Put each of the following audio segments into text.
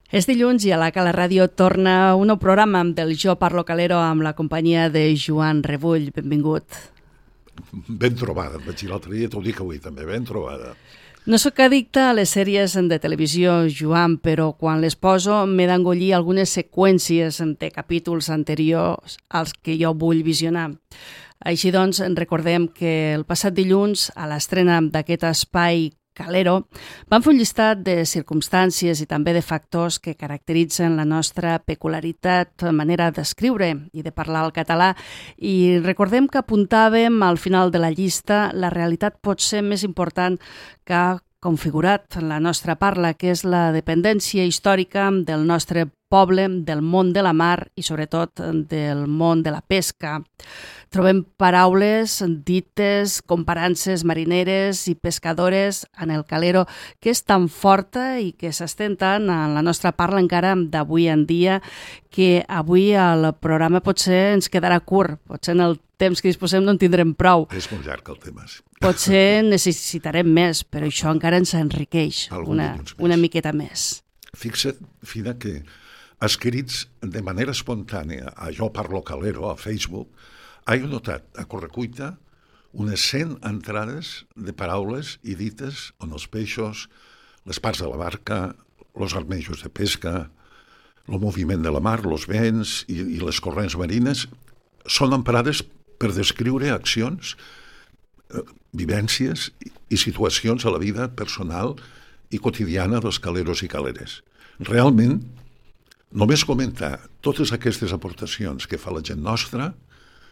És dilluns i a la Cala Ràdio torna un nou programa del Jo Parlo Calero amb la companyia de Joan Rebull. Benvingut. Ben trobada, et vaig dir l'altre dia, t'ho dic avui també, ben trobada. No sóc addicta a les sèries de televisió, Joan, però quan les poso m'he d'engollir algunes seqüències de capítols anteriors als que jo vull visionar. Així doncs, recordem que el passat dilluns, a l'estrena d'aquest espai Calero, vam fer un llistat de circumstàncies i també de factors que caracteritzen la nostra peculiaritat, manera d'escriure i de parlar el català, i recordem que apuntàvem al final de la llista la realitat pot ser més important que ha configurat la nostra parla, que és la dependència històrica del nostre poble, del món de la mar i sobretot del món de la pesca. Trobem paraules dites, comparances marineres i pescadores en el calero que és tan forta i que s'estén tant en la nostra parla encara d'avui en dia que avui el programa potser ens quedarà curt, potser en el temps que disposem no en tindrem prou. És molt llarg el tema. Sí. Potser necessitarem més, però això encara ens enriqueix una miqueta més. Fixa't, Fina, que escrits de manera espontània a Jo Parlo Calero, a Facebook, he notat a correcuita unes 100 entrades de paraules i dites on els peixos, les parts de la barca, els armejos de pesca, el moviment de la mar, els vents i les corrents marines són emprades per descriure accions, vivències i situacions a la vida personal i quotidiana dels caleros i caleres. Realment, només comentar totes aquestes aportacions que fa la gent nostra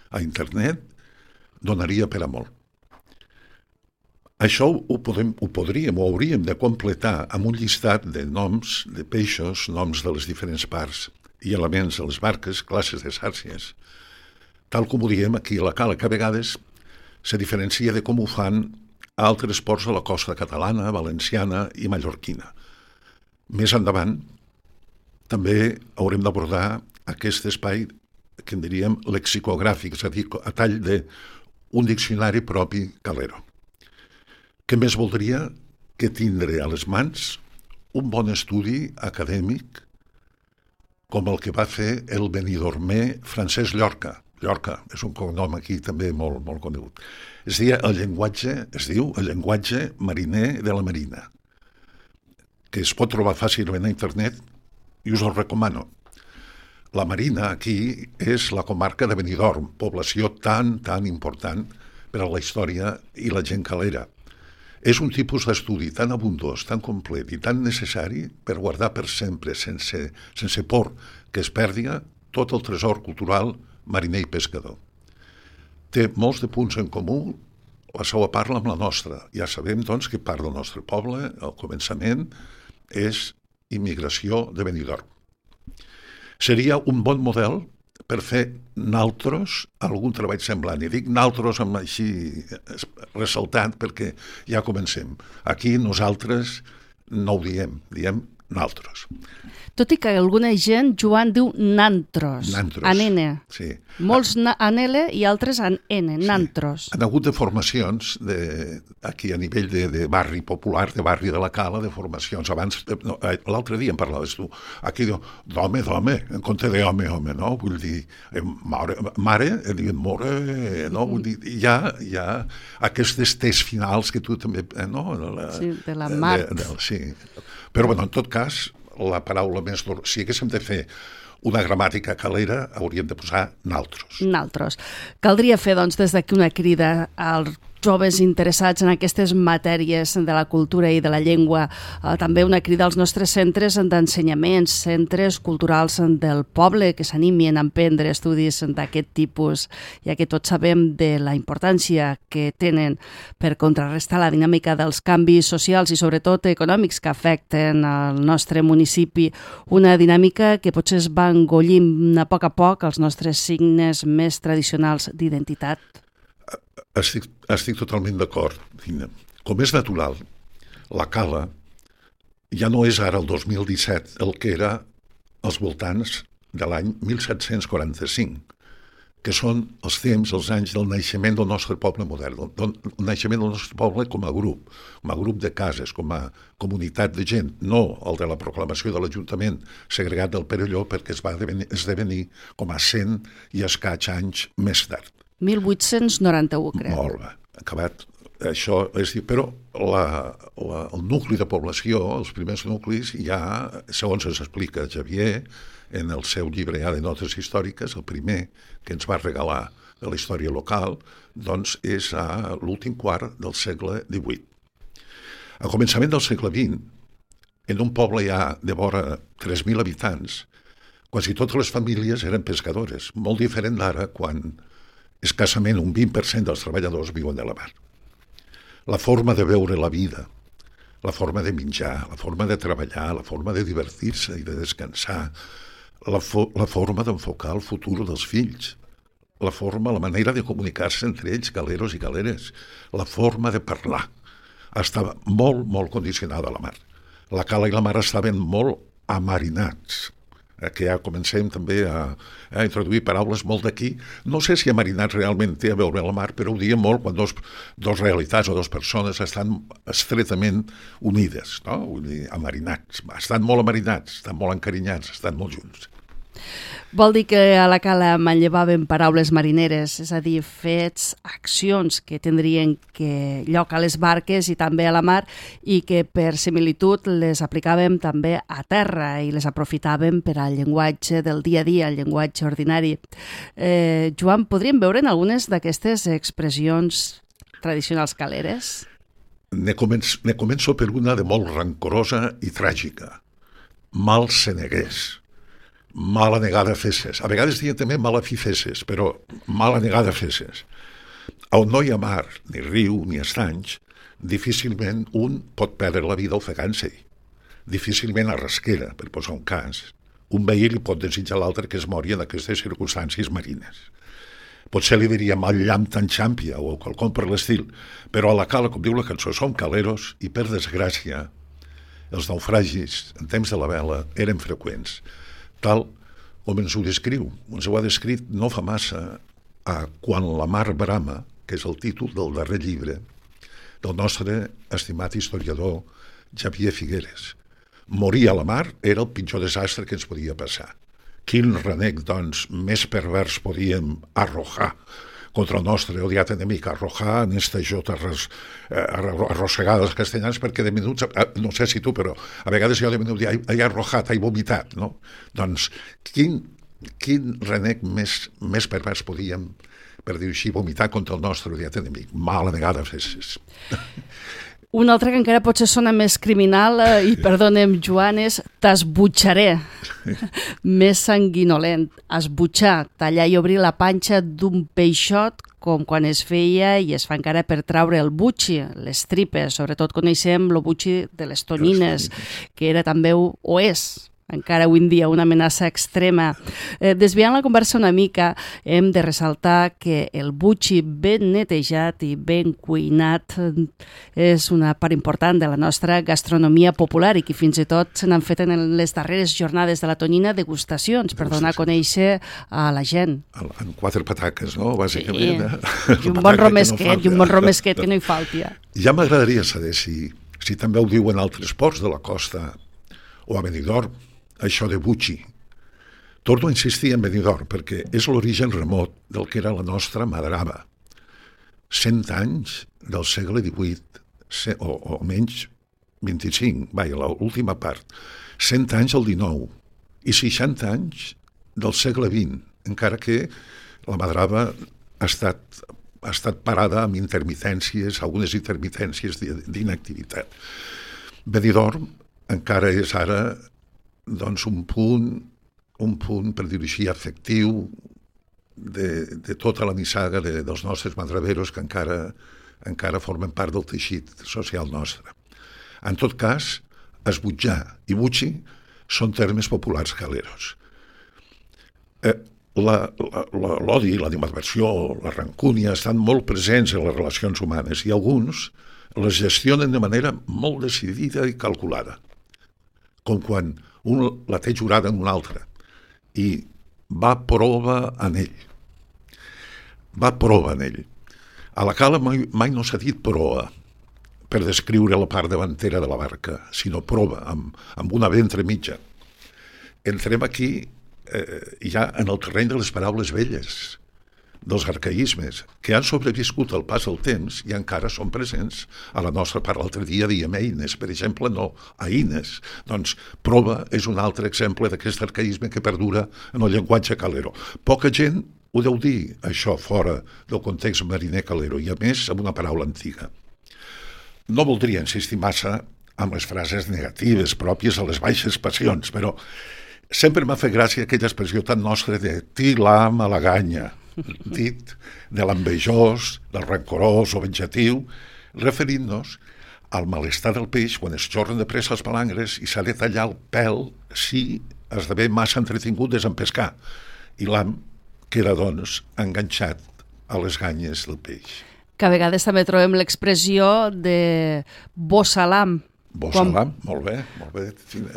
a internet donaria per a molt. Això ho hauríem de completar amb un llistat de noms de peixos, noms de les diferents parts i elements de les barques, classes de xàrcies, tal com ho diem aquí a la Cala, que a vegades se diferencia de com ho fan altres ports de la costa catalana, valenciana i mallorquina. Més endavant, també haurem d'abordar aquest espai que en diríem lexicogràfic, és a dir, a tall d'un diccionari propi calero. Què més voldria que tindre a les mans un bon estudi acadèmic com el que va fer el benidormer Francesc Llorca. Llorca és un cognom aquí també molt, molt conegut. Es diu el llenguatge mariner de la marina, que es pot trobar fàcilment a internet i us el recomano. La Marina aquí és la comarca de Benidorm, població tan important per a la història i la gent calera. És un tipus d'estudi tan abundós, tan complet i tan necessari per guardar per sempre, sense por que es perdi tot el tresor cultural mariner i pescador. Té molts de punts en comú la seva parla amb la nostra. Ja sabem, doncs, que part del nostre poble, al començament, és immigració de Benidorm. Seria un bon model per fer naltros algun treball semblant. I dic naltros amb així ressaltant perquè ja comencem. Aquí nosaltres no ho diem naltros. Tot i que alguna gent, Joan, diu nantros, en N. Sí. Molts en L i altres en N, nantros. Han hagut de formacions aquí a nivell de barri popular, de barri de la Cala, de formacions. Abans, l'altre dia em parlaves tu, aquí diu d'home, en compte d'home, no? Vull dir, mare, diuen more, no? Vull dir, hi ha aquestes tes finals que tu també, no? Sí, de la mar. Sí. Però, bueno, en tot cas, la paraula més... Si haguéssim de fer una gramàtica calera, hauríem de posar naltros. Naltros. Caldria fer, doncs, des d'aquí una crida als joves interessats en aquestes matèries de la cultura i de la llengua. També una crida als nostres centres d'ensenyament, centres culturals del poble, que s'animin a emprendre estudis d'aquest tipus, ja que tots sabem de la importància que tenen per contrarrestar la dinàmica dels canvis socials i sobretot econòmics que afecten el nostre municipi. Una dinàmica que potser es va engollint a poc els nostres signes més tradicionals d'identitat. Estic totalment d'acord. Com és natural, la Cala ja no és ara el 2017 el que era als voltants de l'any 1745. que són els temps, els anys del naixement del nostre poble modern, del naixement del nostre poble com a grup de cases, com a comunitat de gent, no el de la proclamació de l'Ajuntament segregat del Perelló, perquè es va esdevenir com a 100 i escaig anys més tard. 1891, crec. Molt bé, acabat. Això és dir, però el nucli de població, els primers nuclis, ja, segons ens explica Xavier, en el seu llibre de notes històriques, el primer que ens va regalar de la història local, doncs és a l'últim quart del segle XVIII. A començament del segle XX, en un poble ja de vora 3.000 habitants, quasi totes les famílies eren pescadores, molt diferent d'ara quan escassament un 20% dels treballadors viuen de la mar. La forma de veure la vida, la forma de menjar, la forma de treballar, la forma de divertir-se i de descansar, la forma d'enfocar el futur dels fills, la manera de comunicar-se entre ells, galeros i galeres, la forma de parlar, estava molt, molt condicionada a la mar. La cala i la mar estaven molt amarinats, que ja comencem també a introduir paraules molt d'aquí. No sé si amarinats realment té a veure la mar, però ho diem molt quan dos realitats o dues persones estan estretament unides, no? Vull dir, amarinats. Estan molt amarinats, estan molt encarinyats, estan molt junts. Vol dir que a la cala manllevaven paraules marineres, és a dir, fets, accions que tindrien lloc a les barques i també a la mar i que per similitud les aplicàvem també a terra i les aprofitàvem per al llenguatge del dia a dia, el llenguatge ordinari. Joan, podríem veure en algunes d'aquestes expressions tradicionals caleres? Ne començo per una de molt rancorosa i tràgica. Mal senegués. Mala negada fesses. A vegades diuen també mala fi fesses, però mala negada fesses. On no hi ha mar, ni riu, ni estanys, difícilment un pot perdre la vida ofegant-se. Difícilment a rasquera, per posar un cas. Un veí li pot desitjar a l'altre que es mori en aquestes circumstàncies marines. Potser li diria mal llamp tan xàmpia o quelcom per l'estil, però a la cala, com diu la cançó, som caleros i, per desgràcia, els naufragis en temps de la vela eren freqüents. Tal com ens ho descriu. Ens ho ha descrit no fa massa a Quan la mar brama, que és el títol del darrer llibre del nostre estimat historiador Xavier Figueres. Morir a la mar era el pitjor desastre que ens podia passar. Quin renec, doncs, més pervers podíem arrojar contra el nostre odiat enemic, arrojar en esta jota arrossegada dels castellans, perquè de minuts, no sé si tu, però a vegades jo de minuts he arrojat, he vomitat, no? Doncs quin renec més pervers podíem, per dir així, vomitar contra el nostre odiat enemic. Mala vegada fessis. Un altre que encara potser sona més criminal, i perdonem, Joan, és t'esbutxaré. Més sanguinolent. Esbutxar, tallar i obrir la panxa d'un peixot, com quan es feia i es fa encara per traure el butxi, les tripes. Sobretot coneixem el butxi de les tonyines, que era també, o és, encara avui en dia, una amenaça extrema. Desviant la conversa una mica, hem de ressaltar que el butxi ben netejat i ben cuinat és una part important de la nostra gastronomia popular i que fins i tot se n'han fet en les darreres jornades de la tonyina degustacions per donar a conèixer a la gent. En 4 pataques, no? Bàsicament. Sí. I un bon romesquet que no hi falti. Ja m'agradaria saber si també ho diuen altres ports de la costa o a Benidorm, això de butxi. Torno a insistir en Benidorm perquè és l'origen remot del que era la nostra madrava. 100 anys del segle XVIII, o menys 25, l'última part. 100 anys del XIX i 60 anys del segle XX, encara que la madrava ha estat parada amb algunes intermitències d'inactivitat. Benidorm encara és ara doncs un punt, per dir-ho així, afectiu de tota la nissaga dels nostres madraveros que encara formen part del teixit social nostre. En tot cas, esbutjar i butxi són termes populars caleros. L'odi, l'animadversió, la rancúnia estan molt presents en les relacions humanes i alguns les gestionen de manera molt decidida i calculada, com quan un la té jurada en un altre i va prova en ell. va proa en ell. A la cala mai no s'ha dit proa per descriure la part davantera de la barca, sinó prova, amb una B entremitja. Entrem aquí ja en el terreny de les paraules velles, dels arcaïsmes, que han sobreviscut al pas del temps i encara són presents a la nostra part. L'altre dia diem eines, per exemple, no eines. Doncs prova és un altre exemple d'aquest arcaïsme que perdura en el llenguatge calero. Poca gent ho deu dir, això, fora del context mariner calero, i a més amb una paraula antiga. No voldria insistir massa amb les frases negatives pròpies a les baixes passions, però sempre m'ha fet gràcia aquella expressió tan nostra de tilar malaganya, dit de l'envejós, del rancorós o venjatiu, referint-nos al malestar del peix quan es xorren de pressa els palangres i s'ha de tallar el pèl si esdevé massa entretingut des en pescar. I l'ham queda, doncs, enganxat a les ganyes del peix. Que a vegades també trobem l'expressió de bossalam. Bossalam, molt bé, molt bé.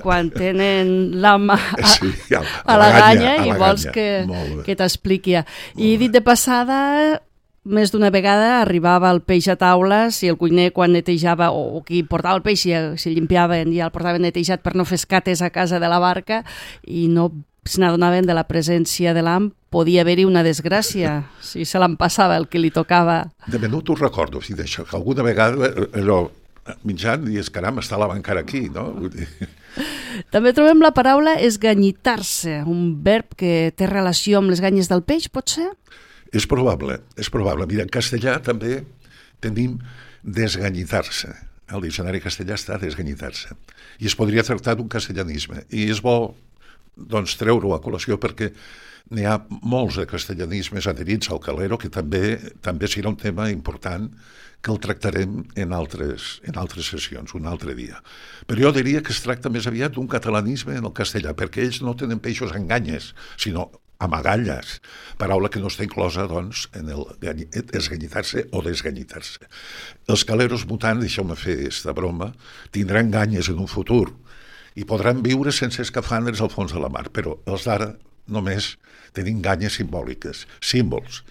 Quan tenen l'am a la ganya i vols que t'expliqui. I dit de passada, més d'una vegada arribava el peix a taula, si el cuiner quan netejava, o qui portava el peix, si limpiaven ja el portaven netejat per no fer escates a casa de la barca, i no se n'adonaven de la presència de l'am, podia haver-hi una desgràcia, si se l'empassava el que li tocava. De menut ho recordo, d'això, que alguna vegada allò mitjan i caram, està la encara aquí, no? També trobem la paraula esganyitar-se, un verb que té relació amb les ganyes del peix, pot ser? És probable, és probable. Mira, en castellà també tenim desganyitar-se. El diccionari castellà està desganyitar-se. I es podria tractar d'un castellanisme. I és bo, doncs, treure-ho a col·lació perquè n'hi ha molts de castellanismes adherits al calero que també serà un tema important que el tractarem en altres sessions, un altre dia. Però jo diria que es tracta més aviat d'un catalanisme en el castellà, perquè ells no tenen peixos en ganyes, sinó amagalles, paraula que no està inclosa, doncs, en el esganyitar-se o desganyitar-se. Els caleros mutants, deixeu-me fer aquesta broma, tindran ganyes en un futur i podran viure sense escafandres al fons de la mar, però els d'ara només tenim ganyes simbòliques, símbols,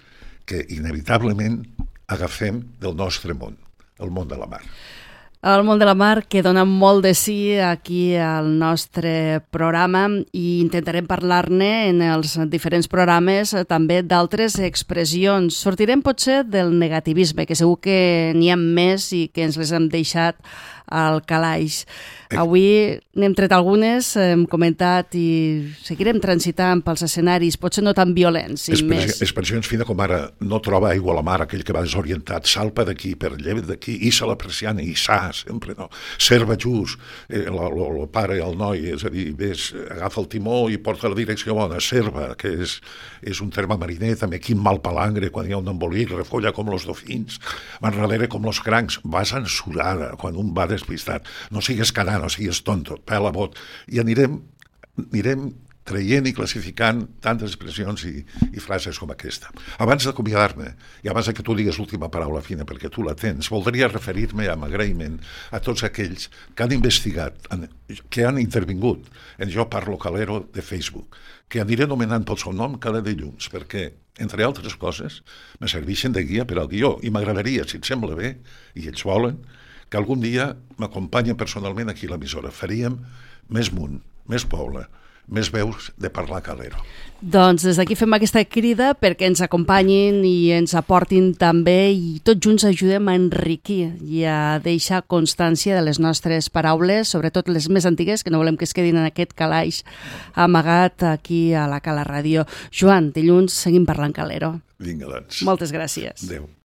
que inevitablement agafem del nostre món, el món de la mar. El món de la mar, que dona molt de sí aquí al nostre programa, i intentarem parlar-ne en els diferents programes també d'altres expressions. Sortirem potser del negativisme, que segur que n'hi ha més i que ens les hem deixat al calaix. Avui n'hem tret algunes, hem comentat i seguirem transitant pels escenaris, potser no tan violents. Expressions fina com ara no troba aigua a la mar, aquell que va desorientat, salpa d'aquí, per lleva d'aquí, issa la persiana, issa, sempre, no? Serva just, el pare i el noi, és a dir, ves, agafa el timó i porta la direcció bona, serva, que és un terme mariner, també quin mal palangre, quan hi ha un embolic, refolla com los dofins, m'enrelere com los crancs, vas ensurada, quan un va despistat, no sigues canant, no sigues tonto, pela bot, i anirem traient i classificant tantes expressions i frases com aquesta. Abans d'acomiadar-me, i abans que tu digues l'última paraula fina, perquè tu la tens, voldria referir-me amb agraïment a tots aquells que han investigat, que han intervingut en Jo Parlo Calero de Facebook, que aniré anomenant pel seu nom cada dilluns, perquè, entre altres coses, me serveixen de guia per al guió, i m'agradaria, si et sembla bé, i ells volen, que algun dia m'acompanyen personalment aquí a l'emissora. Faríem més munt, més poble, més veus de parlar calero. Doncs des d'aquí fem aquesta crida perquè ens acompanyin i ens aportin també, i tots junts ajudem a enriquir i a deixar constància de les nostres paraules, sobretot les més antigues, que no volem que es quedin en aquest calaix amagat aquí a la Cala Ràdio. Joan, dilluns seguim parlant calero. Vinga, doncs. Moltes gràcies. Adéu.